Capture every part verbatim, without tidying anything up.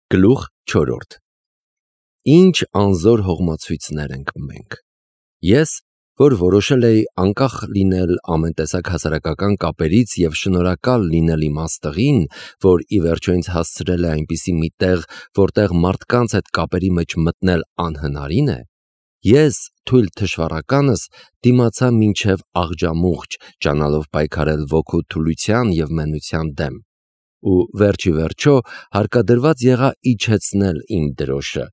Գլուխ չորրորդ Ինչ անզոր հողմացույցներ ենք մենք։ Ես, որ որոշել էի անկախ լինել ամեն տեսակ հասարակական կապերից և շնորհակալ լինել իմ Աստղին, որ ի վերջո ինձ հասցրել է այնպիսի մի տեղ, որտեղ մարդկանց հետ կապերի մեջ մտնել անհնարին է, ես, թույլ թշվառականս, դիմացա մինչև աղջամուղջ, ջանալով պայքարել ոգու թուլության և մենության դեմ, ու վերջ ի վերջո հարկադրված եղա իջեցնել իմ դրոշը,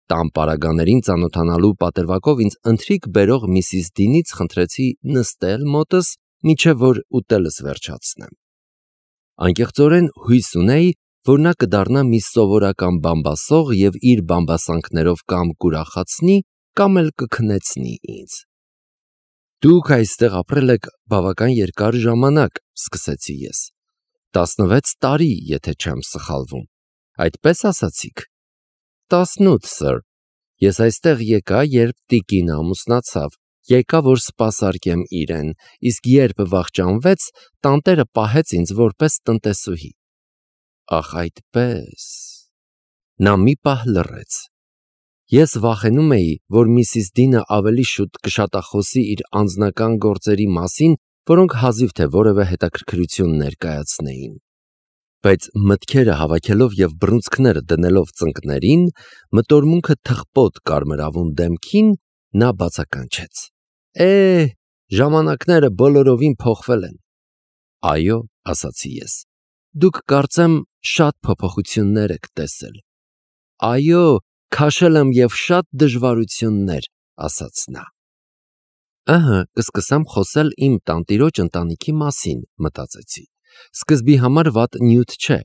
տան պարագաներին ծանոթանալու պատրվակով ինձ ընթրիք բերող միսիս Դինից խնդրեցի նստել մոտս, մինչև որ ուտելս վերջացնեմ։ Անկեղծորեն հույս ունեի, որ նա կդառնա մի սովորական բամբասող և իր բամբասանքներով կամ կուրախացնի, կամ էլ կքնեցնի ինձ։ Դուք այստեղ ապրել եք բավական երկար ժամանակ, սկսեցի ես, տասնվեց տարի, եթե չեմ սխալվում, այդպես ասացիք։ Տասնութ, սըր, ես այստեղ եկա, երբ տիկինը ամուսնացավ, եկա, որ սպասարկեմ իրեն, իսկ երբ վախճանվեց, տանտերը պահեց ինձ որպես տնտեսուհի։ Ախ, այդպես… Նա մի պահ լռեց։ Ես վախենում էի, որ միսիս Դինը ավելի շուտ կշատախոսի իր անձնական գործերի մասին, որոնք հազիվ թե որևէ հետաքրքրություն ներկայացնեին։ Բայց մտքերը հավաքելով և բռունցքները դնելով ծնկներին, մտորմունքը թխպոտ կարմրավուն դեմքին, նա բացականչեց. Է՜, ժամանակները բոլորովին փոխվել են։ Այո, ասացի ես, դուք կարծեմ շատ փոփոխություններ եք տեսել։ Այո, քաշել եմ և շատ դժվարություններ, ասաց նա։ Ըհը, կսկսեմ խոսել իմ տանտիրոջ ընտանիքի մասին, մտածեցի, սկզբի համար վատ նյութ չէ,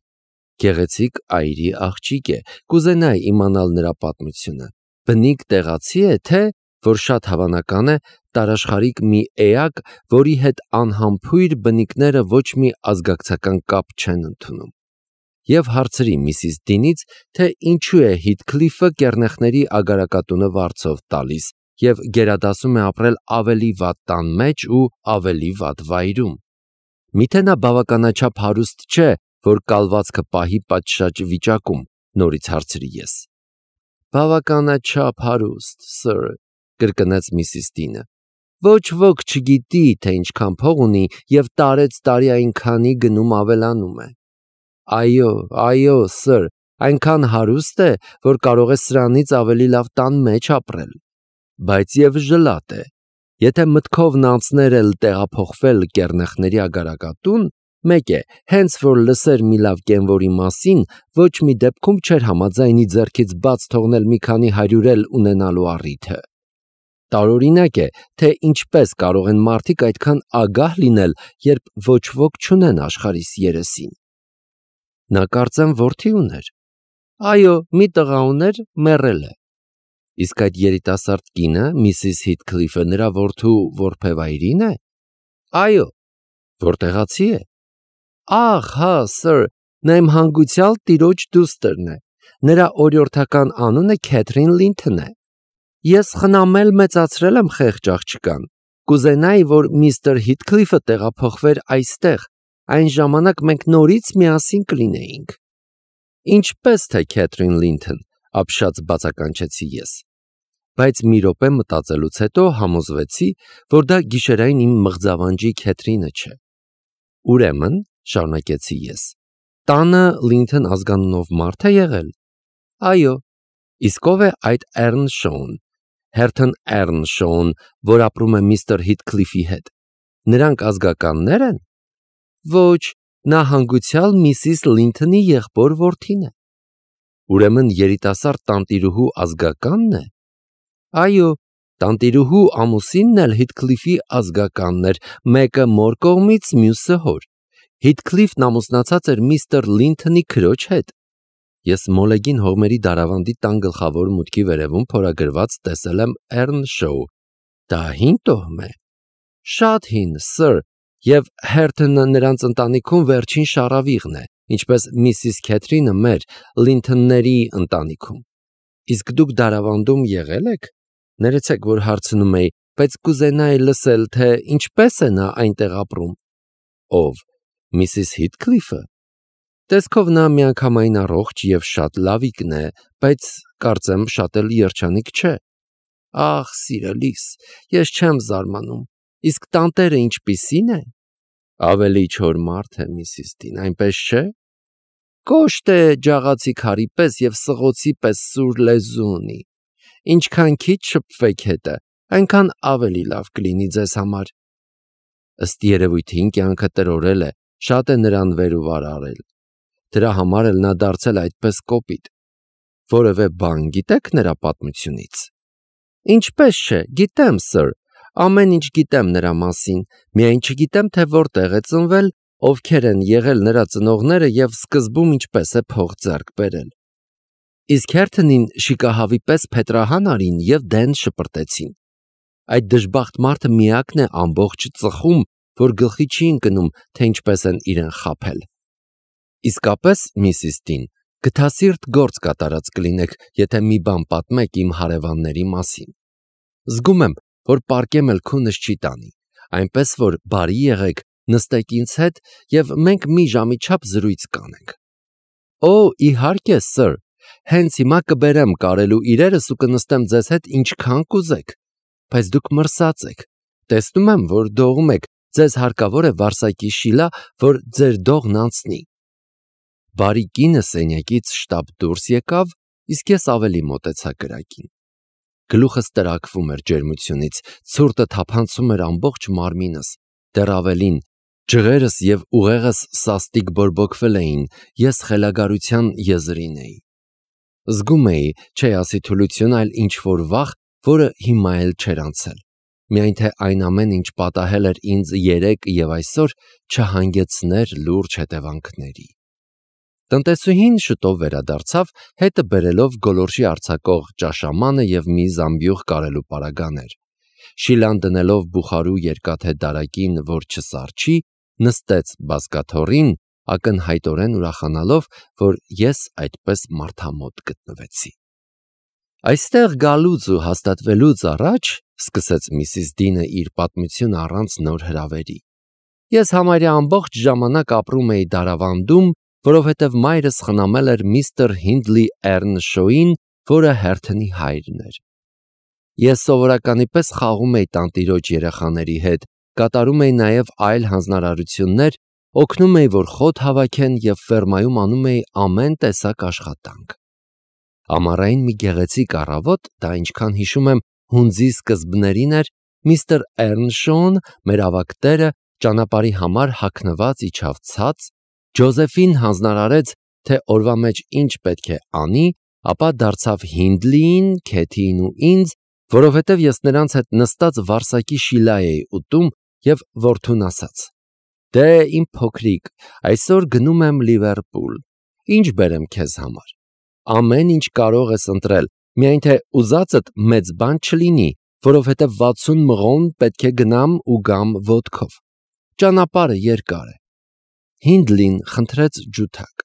գեղեցիկ այրի աղջիկ է, կուզենայի իմանալ նրա պատմությունը, բնիկ տեղացի է, թե, որ շատ հավանական է, տարաշխարհիկ մի էակ, որի հետ անհամբույր բնիկները ոչ մի ազգակցական կապ չեն ընդունում։ Եվ հարցրի միսիս Դինից, թե ինչու է Հիթքլիֆը կեռնեխների ագարակատունը վարձով տալիս և գերադասում է ապրել ավելի վատ տան մեջ ու ավելի վատ վայրում։ Միթե նա բավականաչափ հարուստ չէ, որ կալվածքը պահի պատշաճ վիճակում, նորից հարցրի ես։ Բավականաչափ հարուստ, սըր, կրկնեց միսիս Դինը։ Ոչ ոք չգիտի, թե ինչքան փող ունի և տարեց տարի այնքանի գնում ավելանում է։ Այո, այո, սըր, այնքան հարուստ է, որ կարող է սրանից ավելի լավ տան մեջ ապրել, բայց և ժլատ է։ Եթե մտքովն անցներ էլ տեղափոխվել կեռնեխների ագարակատուն, մեկ է, հենց որ լսեր մի լավ կենվորի մասին, ոչ մի դեպքում չէր համաձայնի ձեռքից բաց թողնել մի քանի հարյուրել ունենալու առիթը։ Տարօրինակ է, թե ինչպես կարող են մարդիկ այդքան ագահ լինել, երբ ոչ ոք չունեն աշխարհիս երեսին։ Նա կարծեմ որդի ուներ։ Այո, մի տղա ուներ, մեռել է։ Իսկ այդ երիտասարդ կինը, միսիս Հիթքլիֆը, նրա որդու որբևայրի՞ն է։ Այո։ Որտեղացի է։ Ահ, հա, սըր, նա իմ հանգուցյալ տիրոջ դուստրն է։ Նրա օրիորդական անունը Քեթրին Լինթոն է։ Ես խնամել մեծացրել եմ խեղճ աղջկան։ Կուզենայի, որ միստր Հիթքլիֆը տեղափոխվեր այստեղ, այն ժամանակ մենք նորից միասին կլինեինք։ Ինչպես թե Քեթրին Լինթոն, ապշած բացականչեցի ես։ Բայց մի րոպե մտածելուց հետո համոզվեցի, որ դա գիշերային իմ մղձավանջի Քեթրինը չէ։ Ուրեմն, շարունակեցի ես, տանը Լինթոն ազգանունով մարդ է եղել։ Այո։ Իսկ ով է այդ Էռնշոուն, Հերթոն Էռնշոուն, որ ապրում է միստր Հիթքլիֆի հետ։ Նրանք ազգականնե՞ր են։ Ոչ, նա հանգուցյալ միսիս Լինթոնի եղբոր որդին է։ Ուրեմն երիտասարդ տանտիրուհու ազգակա՞նն է։ Այո, տանտիրուհու ամուսինն էլ Հիթքլիֆի ազգականն էր, մեկը մոր կողմից, մյուսը հոր։ Հիթքլիֆն ամուսնացած էր միստր Լինթոնի քրոջ հետ։ Ես մոլեգին հողմերի դարավանդի տան գլխավոր մուտքի վերևում փորագրված տեսել եմ Էռնշոու։ Դա հին տոհմ է։ Շատ հին, սըր, և Հերթոնը նրանց ընտանիքում վերջին շառավիղն է, ինչպես միսիս Քեթրինը մեր Լինթոնների ընտանիքում։ Իսկ դուք դարավանդում եղե՞լ եք։ Ներեցեք, որ հարցնում էի, բայց կուզենայի լսել, թե ինչպես է նա այնտեղ ապրում։ Ով, միսիս Հիթքլիֆը։ Տեսքով նա միանգամայն առողջ եւ շատ լավիկն է, բայց կարծեմ շատ էլ երջանիկ չէ։ Ախ, սիրելիս, ես չեմ զարմանում։ Իսկ տանտերը ինչպիսին է։ Ավելի չոր մարդ է, միսիս Դին, այնպես չէ։ Կոշտ է ջաղացի քարի պես եւ սղոցի պես սուր լեզու ունի։ Ինչքան քիչ շփվեք հետը, այնքան ավելի լավ կլինի ձեզ համար։ Ըստ երևույթին կյանքը տրորել է, շատ է նրան վեր ու վար արել։ Դրա համար էլ նա դարձել այդպես կոպիտ։ Որևէ բան գիտեք նրա պատմությունից։ Ինչպես չէ, գիտեմ, սըր, ամեն ինչ գիտեմ նրա մասին, միայն չգիտեմ, թե որտեղ է ծնվել, ովքեր են եղել նրա ծնողները եւ սկզբում ինչպես է փող ձեռք բերել։ Իսկ հերթնին շիկահավի պես փետրահան արին եւ դեն շպրտեցին։ Այդ դժբախտ մարդը միակն է ամբողջ ծխում, որ գլխի չի ընկնում, թե ինչպես են իրեն խաբել։ Իսկապես, միսիս Դին, գթասիրտ գործ կատարած կլինեք, եթե մի բան պատմեք իմ հարևանների մասին։ Զգում եմ, որ պարկեմ էլ քունս չի տանի, այնպես որ բարի եղեք, նստեք ինձ հետ եւ մենք մի ժամի չափ զրույց կանենք։ Օ, իհարկե, սըր, հենց հիմա կբերեմ կարելու իրերս ու կնստեմ ձեզ հետ ինչքան կուզեք, բայց դուք մրսած եք։ Տեսնում եմ, որ դողում եք, ձեզ հարկավոր է վարսակի շիլա, որ ձեր դողն անցնի։ Բարի կինը սենյակից շտապ դուրս եկավ, իսկ ես ավելի մոտեցա կրակին։ Գլուխս տրաքվում էր ջերմությունից, ցուրտը թափանցում էր ամբողջ մարմինս, դեռ ավելին, ջղերս եւ ուղեղս սաստիկ բորբոքվել էին, ես խելագարության եզրին էի։ Զգում էի, չէ ասի թուլություն, այլ ինչ-որ վախ, որը հիմա էլ չէր անցել։ Միայն թե այն ամեն ինչ պատահել էր ինձ երեկ եւ այսօր չհանգեցներ լուրջ հետևանքների։ Տնտեսուհին շուտով վերադարձավ, հետը բերելով գոլորշի արձակող ճաշամանը եւ մի զամբյուղ կարելու պարագաներ։ Շիլան դնելով բուխարու երկաթե դարակին, որ չսառչի, նստեց բազկաթոռին, ակնհայտորեն ուրախանալով, որ ես այդպես մարդամոտ գտնվեցի։ Այստեղ գալուց ու հաստատվելուց առաջ, սկսեց միսիս Դինը իր պատմությունը առանց նոր հրավերի, ես համարյա ամբողջ ժամանակ ապրում էի Դարավանդում, որովհետև մայրս խնամել էր միստր Հինդլի Էռնշոյին, որը հերթնի հայրն էր։ Ես սովորականի պես խաղում էի տանտիրոջ երեխաների հետ, կատարում էի նաև այլ հանձնարարություններ, օգնում էի, որ խոտ հավաքեն եւ ֆերմայում անում էի ամեն տեսակ աշխատանք։ Ամառային մի գեղեցիկ առավոտ, դա ինչքան հիշում եմ, հունձի սկզբներին էր, միստր Էռնշոուն, մեր ավագ տերը, ճանապարհի համար հագնված իջավ ցած, Ջոզեֆին հանձնարարեց, թե օրվա մեջ ինչ պետք է անի, ապա դարձավ Հինդլիին, Քեթիին ու ինձ, որովհետև ես նրանց հետ նստած վարսակի շիլա էի ուտում եւ որդուն ասաց. Դե իմ փոքրիկ, այսօր գնում եմ Լիվերպուլ, ինչ բերեմ քեզ համար։ Ամեն ինչ կարող ես ընտրել, միայն թե ուզածդ մեծ բան չլինի, որովհետև վաթսուն մղոն պետք է գնամ ու գամ ոտքով։ Ճանապարհը երկար է։ Հինդլին խնդրեց ջութակ։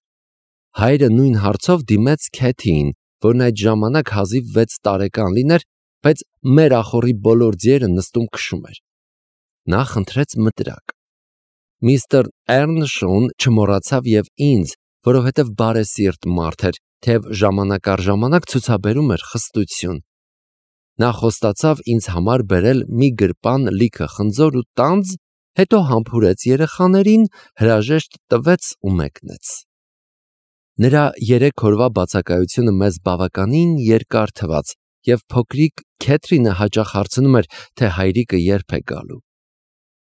Հայրը նույն հարցով դիմեց Քեթիին, որն այդ ժամանակ հազիվ վեց տարեկան լիներ, բայց մեր ախորի բոլոր ձիերը նստում քշում էր։ Նա խնդրեց մտրակ։ Միստր Էռնշոուն չմոռացավ եւ ինձ, որովհետև բարեսիրտ մարդ էր, թեև ժամանակ առ ժամանակ ցուցաբերում էր խստություն։ Նա խոստացավ ինձ համար բերել մի գրպան լիքը խնձոր ու տանձ, հետո համբուրեց երեխաներին, հրաժեշտ տվեց ու մեկնեց։ Նրա երեք օրվա բացակայությունը մեզ բավականին երկար թվաց, եւ փոքրիկ Քեթրինը հաճախ հարցնում էր, թե հայրիկը երբ է գալու։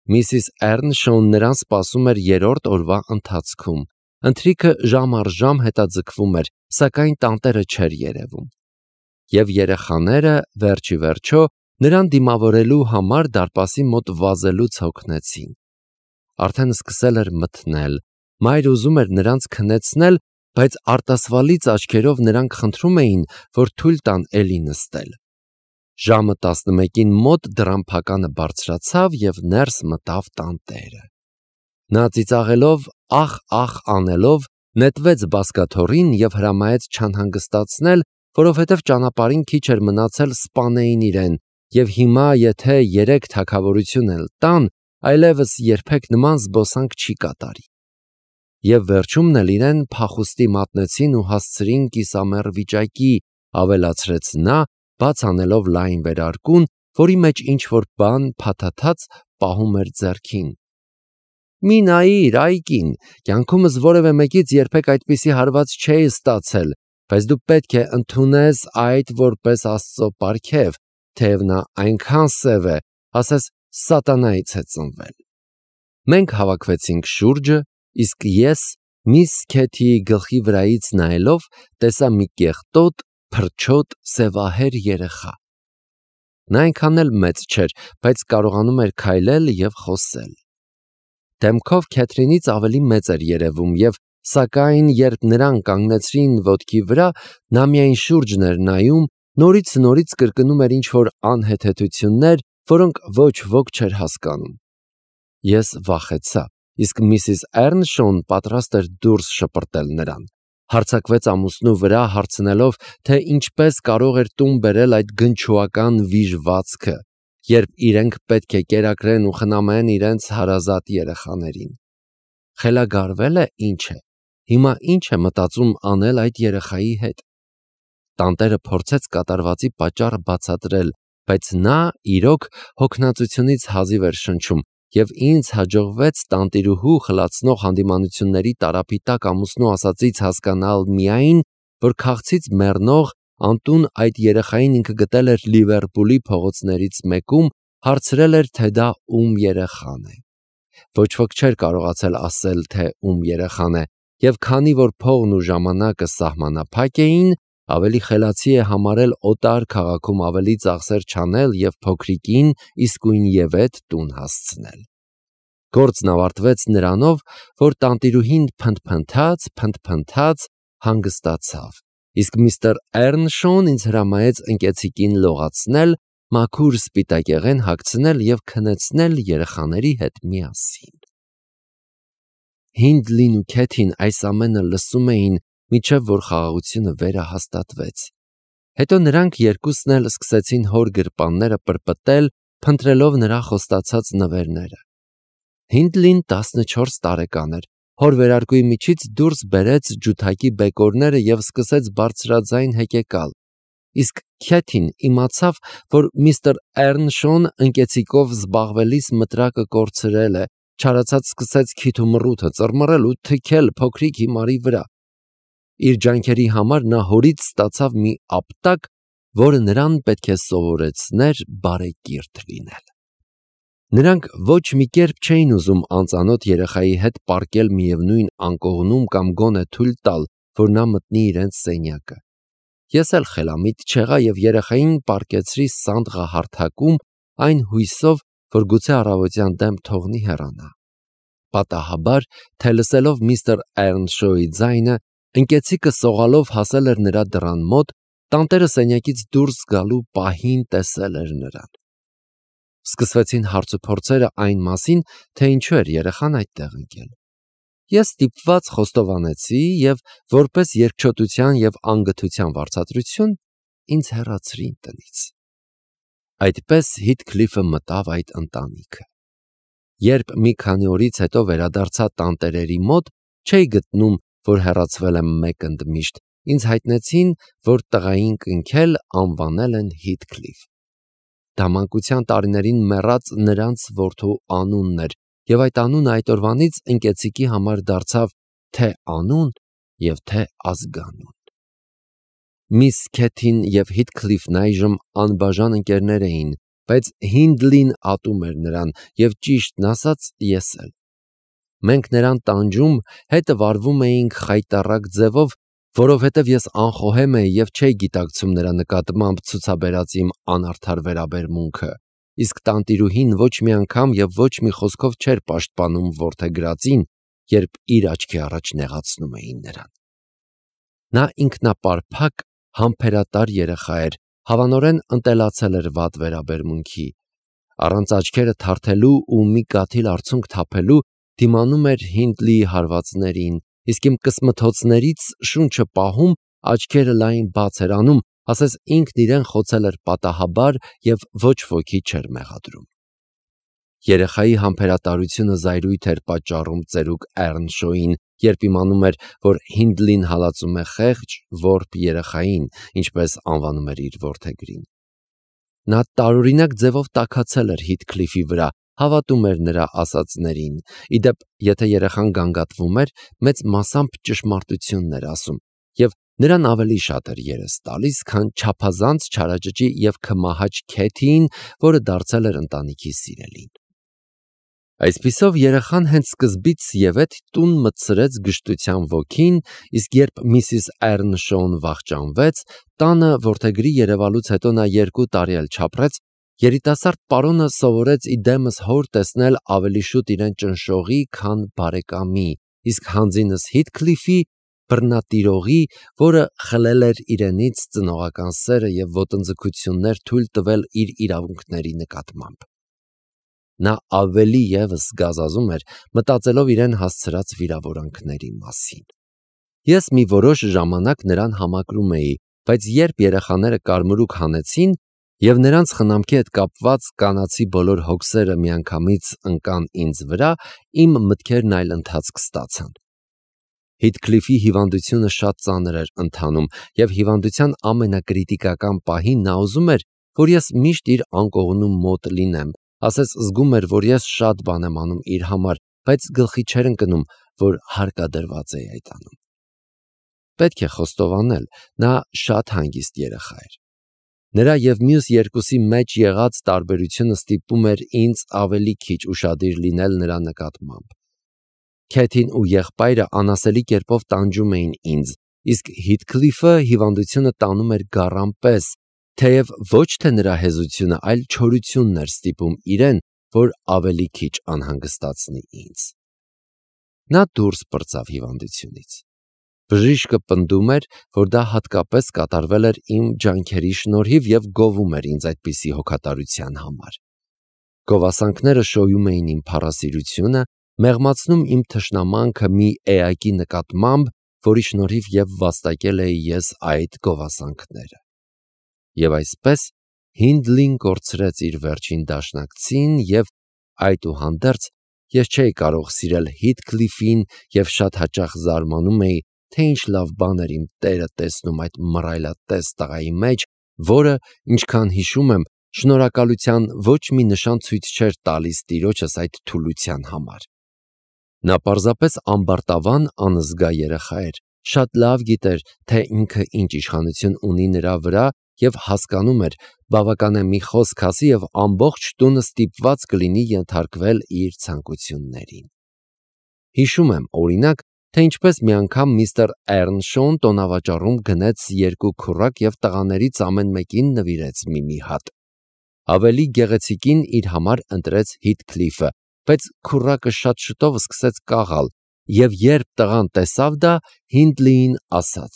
Միսիս Էռնշոուն նրան սպասում էր երրորդ օրվա ընթացքում։ Ընթրիքը ժամ առ ժամ հետաձգվում էր, սակայն տանտերը չէր երևում։ Եվ երեխաները վերջի վերջո նրան դիմավորելու համար դարպասի մոտ վազելուց հոգնեցին։ Արդեն սկսել էր մթնել, մայրը ուզում էր նրանց քնեցնել, բայց արտասվալից աչքերով նրանք խնդրում էին, որ թույլ տան էլի նստել։ Ժամը տասնմեկին մոտ դռան բարձրացավ եւ ներս մտավ տանտերը։ Նա ծիծաղելով, ախ-ախ անելով, նետվեց բազկաթոռին եւ հրամայեց չանհանգստացնել, որովհետև ճանապարհին քիչ էր մնացել սպանեին իրեն, եւ հիմա եթե երեք թագավորություն էլ տան, այլևս երբեք նման զբոսանք չի կատարի։ և վերջումն էլ իրեն փախուստի մատնեցին ու հասցրին կիսամեռ վիճակի, ավելացրեց նա, բաց անելով լայն վերարկուն, որի մեջ ինչ-որ բան փաթաթած պահում էր ձեռքին։ «Մի նայիր, այ կին, կյանքումս որևէ մեկից երբեք այդպիսի հարված չէի ստացել, բայց դու պետք է ընդունես այդ որպես Աստծո պարգև, թեև նա այնքան սև է, ասես սատանայից է ծնվել»։ Մենք հավաքվեցինք շուրջը, իսկ ես միս Քեթիի գլխի վրայից նայելով տեսա մի կեղտոտ, փրչոտ, սևահեր երեխա։ Նա այնքան էլ մեծ չէր, բայց կարողանում էր քայլել և խոսել։ Դեմքով Քեթրինից ավելի մեծ էր երևում և, սակայն, երբ նրան կանգնեցրին ոտքի վրա, նա միայն շուրջն էր նայում, նորից նորից կրկնում էր ինչ-որ անհեթեթություններ, որոնք ոչ ոք չէր հասկանում։ Ես վախեցա, իսկ միսիս Էռնշոուն պատրաստ էր դուրս շպրտել նրան։ Հարձակվեց ամուսնու վրա, հարցնելով, թե ինչպես կարող էր տուն բերել այդ գնչուական վիժվածքը, երբ իրենք պետք է կերակրեն ու խնամեն իրենց հարազատ երեխաներին։ Խելագարվե՞լ է, ինչ է։ Հիմա ինչ է մտածում անել այդ երեխայի հետ։ Տանտերը փորձեց կատարվածի պատճառը բացատրել, բայց նա, իրոք, հոգնածությունից հազիվ էր շնչում, և ինձ հաջողվեց տանտիրուհու խլացնող հանդիմանությունների տարափի տակ ամուսնու ասածից հասկանալ միայն, որ քաղցից մեռնող անտուն այդ երեխային ինքը գտել էր Լիվերպուլի փողոցներից մեկում, հարցրել էր, թե դա ում երեխան է։ Ոչ ոք չէր կարողացել ասել, թե ում երեխան է, և քանի որ փողն ու ժամանակը սահմանափակ էին, ավելի խելացի է համարել օտար քաղաքում ավելի ծախսեր չանել և փոքրիկին իսկույնևեթ տուն հասցնել։ Գործն ավարտվեց նրանով, որ տանտիրուհին փնթփնթաց, փնթփնթաց, հանգստացավ, իսկ միստր Էռնշոուն ինձ հրամայեց ընկեցիկին լողացնել, մաքուր սպիտակեղեն հագցնել և քնեցնել երեխաների հետ միասին։ Հինդլին ու Քեթին այս ամենը լսում էին, մինչև որ խաղաղությունը վերահաստատվեց։ Հետո նրանք երկուսն էլ սկսեցին հոր գրպանները պրպտել, փնտրելով նրա խոստացած նվերները։ Հինդլին տասնչորս տարեկան էր, հոր վերարկուի միջից դուրս բերեց ջութակի բեկորները և սկսեց բարձրաձայն հեկեկալ, իսկ Քեթին իմացավ, որ միստր Էռնշոուն ընկեցիկով զբաղվելիս մտրակը կորցրել է, չարացած սկսեց քիթ ու մռութը ծռմռել ու թքել փոքրիկ հիմարի վրա։ Իր ջանքերի համար նա հորից ստացավ մի ապտակ, որը նրան պետք է սովորեցներ բարեկիրթ լինել։ Նրանք ոչ մի կերպ չէին ուզում անծանոթ երեխայի հետ պառկել միևնույն անկողնում կամ գոնե թույլ տալ, որ նա մտնի իրենց սենյակը։ Ես էլ խելամիտ չեղա և երեխային պառկեցրի սանդղահարթակում, այն հույսով, որ գուցե առավոտյան դեմ թողնի հեռանա։ Պատահաբար, թե լսելով միստր Էռնշոուի ձայնը, ընկեցիկը սողալով հասել էր նրա դռան մոտ, տանտերը սենյակից դուրս գալու պահին տեսել էր նրան։ Սկսվեցին հարցուփորձերը այն մասին, թե ինչու էր երեխան այդտեղ ընկել։ Ես ստիպված խոստովանեցի և, որպես երկչոտության և անգթության վարձատրություն, ինձ հեռացրին տնից։ Այդպես Հիթքլիֆը մտավ այդ ընտանիքը։ Երբ մի քանի օրից հետո վերադարձա տանտերերի մոտ, չէի գտնում, որ հեռացվել եմ մեկ ընդմիշտ, ինձ հայտնեցին, որ տղային կնքել անվանել են Հիթքլիֆ։ Դա մանկության տարիներին մեռած նրանց որդու անունն էր, և այդ անունը այդ օրվանից ընկեցիկի համար դարձավ թե անուն և թե ազգանուն։ Միս Քեթին և Հիթքլիֆն այժմ անբաժան ընկերներ էին, բայց Հինդլին ատում էր նրան և, ճիշտն ասած, ես էլ։ Մենք նրան տանջում, հետը վարվում էինք խայտառակ ձևով, որովհետև ես անխոհեմ էի և չէի գիտակցում նրա նկատմամբ ցուցաբերած իմ անարդար վերաբերմունքը, իսկ տանտիրուհին ոչ մի անգամ և ոչ մի խոսքով չէր պաշտպանում որդեգրածին, երբ իր աչքի առաջ նեղացնում էին նրան։ Նա ինքնապարփակ, համբերատար երեխա էր, հավանորեն ընտելացել էր վատ վերաբերմունքի։ Առանց աչքերը թարթելու ու մի կաթիլ արցունք թափելու դիմանում էր Հինդլիի հարվածներին, իսկ իմ կսմթոցներից շունչը պահում, աչքերը լայն բաց էր անում, ասես ինքն իրեն խոցել էր պատահաբար և ոչ ոքի չէր մեղադրում։ Երեխայի համբերատարությունը զայրույթ էր պատճառում ծերուկ Էռնշոուին, երբ իմանում էր, որ Հինդլին հալածում է խեղճ, որբ երեխային, ինչպես անվանում էր իր որդեգրին։ Նա տարօրինակ ձևով տաքացել էր Հիթքլիֆի վրա, հավատում էր նրա ասածներին, ի դեպ, եթե երեխան գանգատվում էր, մեծ մասամբ ճշմարտությունն էր ասում, և նրան ավելի շատ էր երես տալիս, քան չափազանց չարաճճի և քմահաճ Քեթիին, որը դարձել էր ընտանիքի սիրելին։ Այսպիսով երեխան հենց սկզբից ևեթ տուն մտցրեց գժտության ոգին, իսկ երբ միսիս Էռնշոուն վախճանվեց, տանը որդեգրի երևալուց հետո նա երկու տարի էլ չապրեց, երիտասարդ պարոնը սովորեց իդեմս հոր տեսնել ավելի շուտ իրեն ճնշողի, քան բարեկամի, իսկ հանձինս Հիթքլիֆի, բռնատիրողի, որը խլել էր իրենից ծնողական սերը և ոտնձգություններ թույլ տվել իր իրավունքների նկատմամբ։ Նա ավելի ևս զգազազում էր, մտածելով իրեն հասցրած վիրավորանքների մասին։ Ես մի որոշ ժամանակ նրան համակրում էի, բայց երբ երեխաները կարմրուկ հանեցին և նրանց խնամքի հետ կապված կանացի բոլոր հոգսերը միանգամից ընկան ինձ վրա, իմ մտքերն այլ ընթացք ստացան։ Հիթքլիֆի հիվանդությունը շատ ծանր էր ընթանում, և հիվանդության ամենակրիտիկական պահին նա ուզում էր, որ ես միշտ իր անկողնու մոտ լինեմ, ասես զգում էր, որ ես շատ բան եմ անում իր համար, բայց գլխի չէր ընկնում, որ հարկադրված էի այդ անում։ Պետք է խոստովանել, նա շատ հանգիստ երեխա էր։ Նրա և մյուս երկուսի մեջ եղած տարբերությունը ստիպում էր ինձ ավելի քիչ ուշադիր լինել նրա նկատմամբ։ Քեթին ու եղբայրը անասելի կերպով տանջում էին ինձ, իսկ Հիթքլիֆը հիվանդությունը տանում էր գառան պես, թեև ոչ թե նրա հեզությունը, այլ չորությունն էր ստիպում իրեն, որ ավելի քիչ անհանգստացնի ինձ։ Նա դուրս պրծավ հիվանդությունից։ Բժիշկը պնդում էր, որ դա հատկապես կատարվել էր իմ ջանքերի շնորհիվ և գովում էր ինձ այդպիսի հոգատարության համար։ Գովասանքները շոյում էին իմ փառասիրությունը, մեղմացնում իմ թշնամանքը մի էակի նկատմամբ, որի շնորհիվ և վաստակել էի ես այդ գովասանքները։ Եվ այսպես Հինդլին կորցրեց իր վերջին դաշնակցին և, այդուհանդերձ, ես չէի կարող սիրել Հիթքլիֆին և շատ հաճախ զարմանում էի, թե ինչ լավ բան էր իմ տերը տեսնում այդ մռայլատես տղայի մեջ, որը, ինչքան հիշում եմ, շնորհակալության ոչ մի նշան ցույց չէր տալիս տիրոջս այդ թուլության համար։ Նա պարզապես ամբարտավան անզգա երեխա էր, շատ լավ գիտեր, թե ինքը ինչ իշխանություն ունի նրա վրա և հասկանում էր, բավական է մի խոսք ասի և ամբողջ տունը ստիպված կլինի ենթարկվել իր ցանկություններին։ Հիշում եմ, օրինակ, թե ինչպես մի անգամ միստր Էռնշոուն տոնավաճառում գնեց երկու քուռակ և տղաներից ամեն մեկին նվիրեց մի-մի հատ։ Ավելի գեղեցիկին իր համար ընտրեց Հիթքլիֆը, բայց քուռակը շատ շուտով սկսեց կաղալ, և երբ տղան տեսավ դա, Հինդլիին ասաց.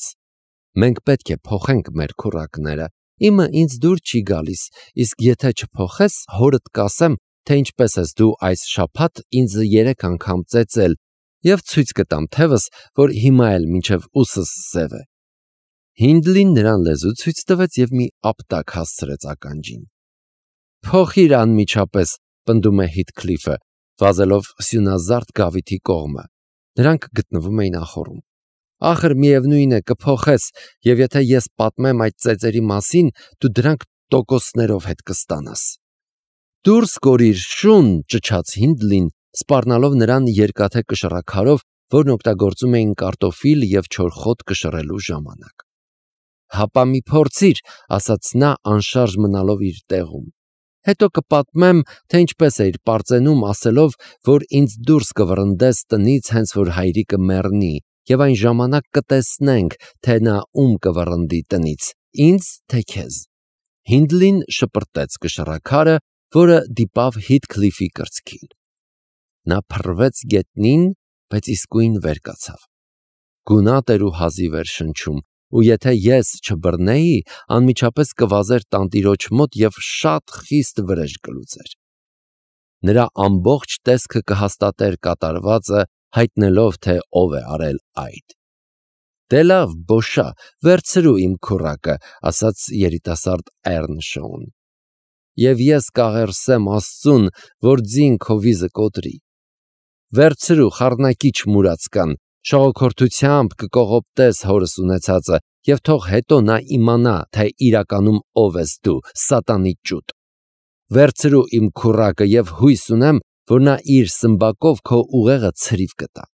«Մենք պետք է փոխենք մեր քուռակները, իմը ինձ դուր չի գալիս, իսկ եթե չփոխես, հորդ կասեմ, թե ինչպես ես դու այս շաբաթ ինձ երեք անգամ ծեծել և ցույց կտամ թևս, որ հիմա էլ մինչև ուսս սև է»։ Հինդլին նրան լեզու ցույց տվեց և մի ապտակ հասցրեց ականջին։ «Փոխիր անմիջապես», պնդում է Հիթքլիֆը, վազելով սյունազարդ գավիթի կողմը։ Նրանք գտնվում էին ախոռում։ «Ախր միևնույն է, կփոխես, և եթե ես պատմեմ այդ ծեծերի մասին, դու դրանք տոկոսներով հետ կստանաս»։ «Դուրս կորիր, շուն», ճչաց Հինդլին, սպառնալով նրան երկաթե կշռաքարով, որն օգտագործում էին կարտոֆիլ և չորխոտ կշռելու ժամանակ։ «Հապա մի փորձիր», ասաց նա, անշարժ մնալով իր տեղում։ «Հետո կպատմեմ, թե ինչպես էիր պարծենում, ասելով, որ ինձ դուրս կվռնդես տնից, հենց որ հայրիկը մեռնի, և այն ժամանակ կտեսնենք, թե նա ում կվռնդի տնից, ինձ, թե քեզ»։ Հինդլին շպրտեց կշռաքարը, որը դիպավ Հիթքլիֆի կրծքին։ Նա փռվեց գետնին, բայց իսկույն վեր կացավ։ Գունատ էր ու հազիվ էր շնչում, ու եթե ես չբռնեի, անմիջապես կվազեր տանտիրոջ մոտ և շատ խիստ վրեժ կլուծեր։ Նրա ամբողջ տեսքը կհաստատեր կատարվածը, հայտնելով, թե ով է արել այդ։ «Դե լավ, բոշա, վերցրու իմ քուռակը», ասաց երիտասարդ Էռնշոուն, «և ես կաղերսեմ Աստծուն, որ ձին քո վիզը կոտրի։ Վերցրու, խառնակիչ մուրացկան, Շողոքորթությամբ կկողոպտես հորս ունեցածը, եւ թող հետո նա իմանա, թե իրականում ով ես դու, սատանի ճուտ։ Վերցրու իմ քուռակը եւ հույս ունեմ, որ նա իր սմբակով քո ուղեղը ցրիվ կտա։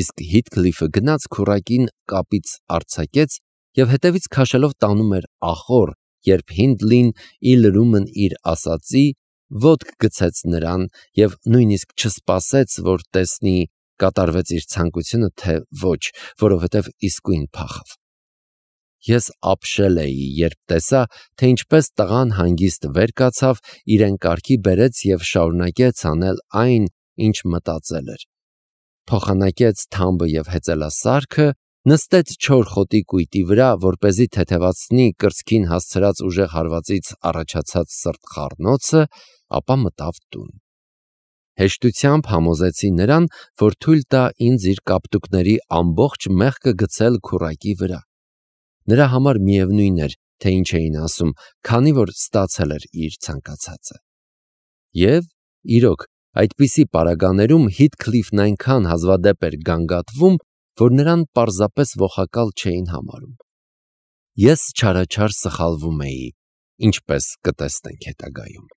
Իսկ Հիթքլիֆը գնաց քուռակին կապից արձակեց եւ հետևից քաշելով տանում էր ախոր, երբ Հինդլին ի լրումն իր ասածի ոտք գցեց նրան եւ նույնիսկ չսպասեց, որ տեսնի կատարվեց իր ցանկությունը, թե ոչ, որովհետև իսկույն փախավ։ Ես ապշել էի, երբ տեսա, թե ինչպես տղան հանգիստ վեր կացավ, իրեն կարգի բերեց եւ շարունակեց անել այն, ինչ մտածել էր։ Փոխանակեց թամբը եւ հեծելասարքը, նստեց չոր խոտի կույտի վրա, որպեսզի թեթևացնի կրծքին հասցրած ուժեղ հարվածից առաջացած սրտխառնոցը, ապա մտավ տուն։ Հեշտությամբ համոզեցի նրան, որ թույլ տա ինձ իր կապտուկների ամբողջ մեղքը գցել քուռակի վրա։ Նրա համար միևնույն էր, թե ինչ էին ասում, քանի որ ստացել էր իր ցանկացածը։ Եվ, իրոք, այդպիսի պարագաներում Հիթքլիֆն այնքան հազվադեպ էր գանգատվում, որ նրան պարզապես ողակալ չէին համարում։ Ես չարաչար սխալվում էի, ինչպես կտեսնենք հետագայում։